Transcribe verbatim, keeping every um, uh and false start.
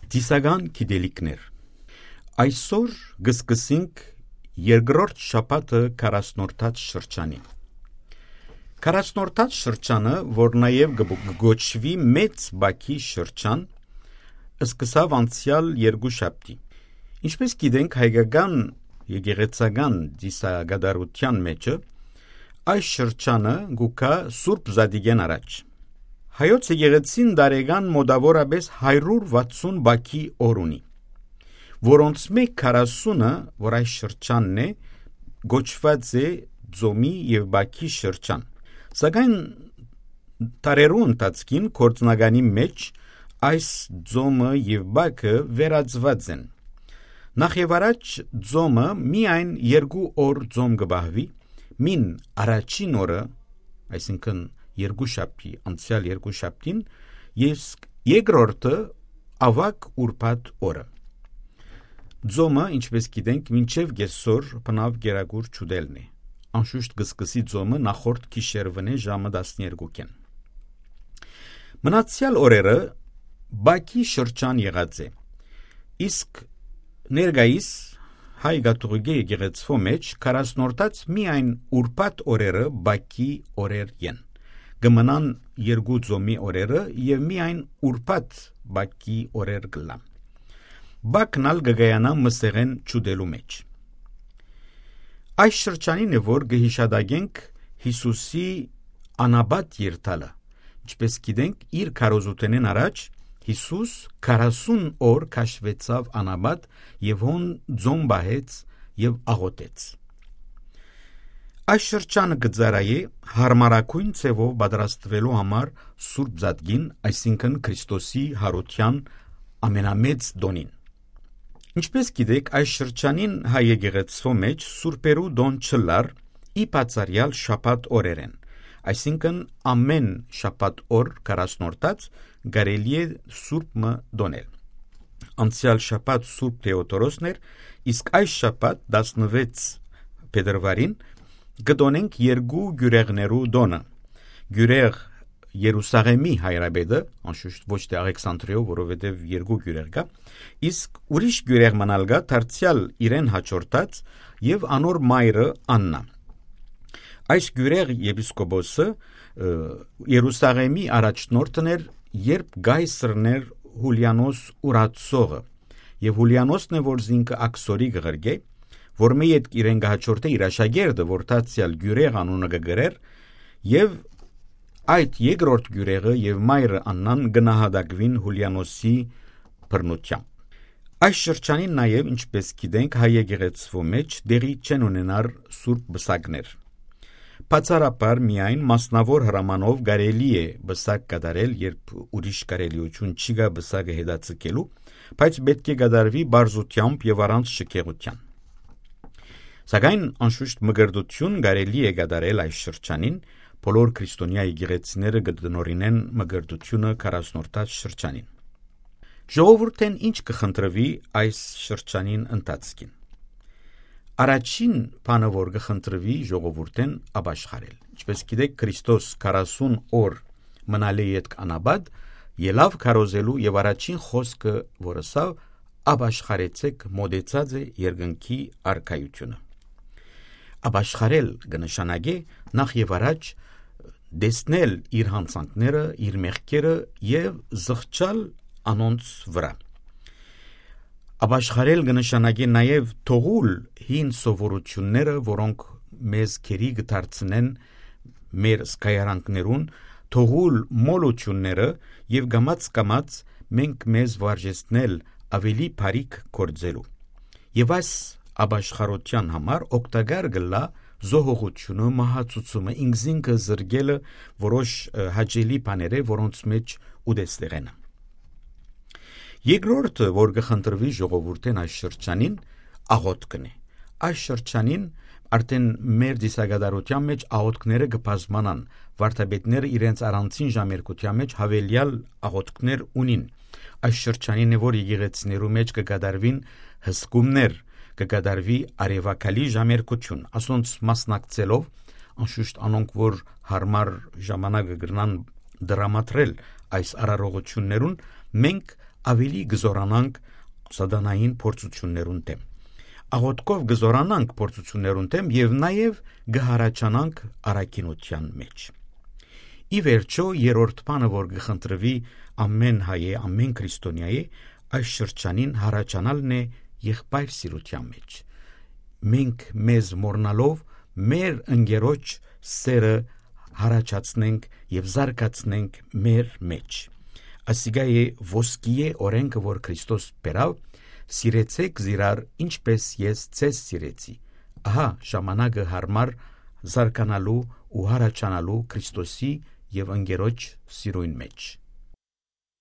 Ծիսական գիտելիքներ։ Այսօր կը սկսենք երկրորդ շաբաթը քառասնորդաց շրջանին։ Քառասնորդաց շրջանը, որ նաեւ կը կը կոչուի Մեծ Բակի շրջան, սկսաւ անցեալ երկու շաբթի։ Ինչպէս գիտենք, հայկական եկեղեցական ծիսակատարութեան մէջը այս շրջանը կու գայ Սուրբ Զատիկէն առաջ։ Հայոց եկեղեցին տարեկան մօտաւորապէս հարիւր վաթսուն բակի օր ունի, որոնցմէ քառասունը, որ այս շրջանն է, կոչուած է Ծոմի եւ Բակի շրջան։ Սակայն դարերու ընթացքին գործնականի մէջ այս Ծոմը եւ Բակը վերածուած են։ Նախ եւ առաջ Ծոմը միայն երկու օր Ծոմ կը պահուի, մին առաջին օրը, այսինքն՝ երկու շաբթի, անցեալ երկու շաբթին, իսկ երկրորդը՝ աւագ Ուրբաթ օրը։ Ծոմը, ինչպէս գիտենք, մինչեւ կէսօր բնաւ կերակուր չուտելն է։ Անշուշտ կը սկսի Ծոմը նախորդ գիշերունէ ժամը տասներկուքէն։ Մնացեալ օրերը Բակի շրջան եղած է, իսկ ներկայիս հայ կաթողիկէ եկեղեցւոյ մէջ քառասնորդաց միայն Ուրբաթ օրերը Բակի օրեր են։ Կը մնան երկու Ծոմի օրերը եւ միայն Ուրբաթ Բակի օրեր կ'ըլլան։ Բակն ալ կը կայանայ մսեղէն չուտելու մէջ։ Այս շրջանին է, որ կը յիշատակենք Յիսուսի անապատ երթալը։ Ինչպէս գիտենք, իր քարոզութենէն առաջ Յիսուս քառասուն օր քաշուեցաւ անապատ եւ հոն Ծոմ պահեց եւ աղօթեց։ Այս շրջանը կը ծառայէ յարմարագոյն ձեւով պատրաստուելու համար Սուրբ Զատկին, այսինքն՝ Քրիստոսի յարութեան ամենամեծ տօնին։ Ինչպէս գիտեք, այս շրջանին հայ եկեղեցւոյ մէջ սուրբերու տօն չըլլար, ի բացառեալ շաբաթ օրերէն, այսինքն՝ ամէն շաբաթ օր քառասնորդաց կարելի է սուրբ մը տօնել։ Անցեալ շաբաթ Սուրբ Թէոդորոսն էր, իսկ այս շաբաթ՝ տասնվեց փետրուարին, կը տօնենք երկու կիւրեղներու տօնը։ Կիւրեղ Երուսաղէմի հայրապետը, անշուշտ ոչ թէ Աղեքսանտրիոյ, որովհետեւ երկու կիւրեղ կայ, իսկ ուրիշ կիւրեղ մըն ալ կայ, դարձեալ իրեն յաջորդած, եւ անոր մայրը՝ Աննա։ Այս կիւրեղ եպիսկոպոսը, ը, Երուսաղէմի առաջնորդն էր, երբ կայսրն էր Յուլիանոս Ուրացողը, եւ Յուլիանոսն է, որ զինքը աքսորի կը ղրկէ, որմէ ետք իրեն կը յաջորդէ իր աշակերտը, որ դարձեալ կիւրեղ անունը կը կրէր, եւ այդ երկրորդ կիւրեղը եւ մայրը՝ Աննան, կը նահատակուին Յուլիանոսի բռնութեամբ։ Այս շրջանին նաեւ, ինչպէս գիտենք, հայ եկեղեցւոյ մէջ տեղի չեն ունենար սուրբ պսակներ։ Բացառաբար միայն մասնաւոր հրամանով կարելի է պսակ կատարել, երբ ուրիշ կարելիութիւն չի կայ պսակը հետաձգելու, բայց պէտք է կատարուի պարզութեամբ եւ առանց շքեղութեան։ Սակայն, անշուշտ, մկրտութիւն կարելի է կատարել այս շրջանին, բոլոր քրիստոնեայ եկեղեցիները կը տնօրինեն մկրտութիւնը քառասնորդաց շրջանին։ Ժողովուրդէն ի՞նչ կը խնդրուի այս շրջանին ընթացքին։ Առաջին բանը, որ կը խնդրուի ժողովուրդէն՝ ապաշխարել։ Ինչպէս գիտեք, Քրիստոս քառասուն օր մնալէ ետք անապատ ելաւ քարոզելու եւ առաջին խօսքը, որ ըսաւ՝ «Ապաշխարեցէք, մօտեցած է երկնքի արքայութիւնը»։ Ապաշխարել կը նշանակէ նախ եւ առաջ տեսնել իր յանցանքները, իր մեղքերը եւ զղջալ անոնց վրայ։ Ապաշխարել կը նշանակէ նաեւ թողուլ հին սովորութիւնները, որոնք մեզ գերի կը դարձնեն մեր զգայարանքներուն, թողուլ մոլութիւնները եւ կամաց-կամաց մենք մեզ վարժեցնել աւելի բարիք գործելու։ Եւ այս ապաշխարութեան համար օգտակար կ'ըլլայ զոհողութիւնը, մահացուցումը, ինքզինքը զրկելը որոշ, ը, հաճելի բաներէ, որոնց մէջ ուտեստեղէնը։ Երկրորդը, որ կը խնդրուի ժողովուրդէն այս շրջանին, աղօթքն է։ Այս շրջանին արդէն մեր ծիսակատարութեան մէջ աղօթքները կը բազմանան, վարդապետները իրենց առանցին ժամերգութեան մէջ յաւելեալ աղօթքներ ունին։ Այս շրջանին է, որ եկեղեցիներու մէջ կը կատարուին հսկումներ, կը կատարուի արեւակալի ժամերգութիւն, ասոնց մասնակցելով, անշուշտ, անոնք, որ յարմար ժամանակը կրնան դրամատրել այս արարողություններուն, մենք աւելի կը զօրանանք սատանային փորձութիւններուն դէմ։ Աղօթքով կը զօրանանք փորձութիւններուն դէմ եւ նաեւ կը յառաջանանք առաքինութեան մէջ։ Ի վերջոյ, երրորդ բանը, որ կը խնդրուի ամէն հայէ, ամէն քրիստոնեայէ, այս շրջանին յառաջանալն է եղբայր սիրութեան մէջ։ Մենք մեզ մոռնալով մեր ընկերոջ սերը յառաջացնենք եւ զարգացնենք մեր մէջ։ Ասիկա է ոսկիե օրենքը, որ Քրիստոս բերաւ. «Սիրեցէք զիրար, ինչպէս ես ձեզ սիրեցի»։ Ահա ժամանակը յարմար զարգանալու ու յառաջանալու Քրիստոսի եւ ընկերոջ սիրոյն մէջ։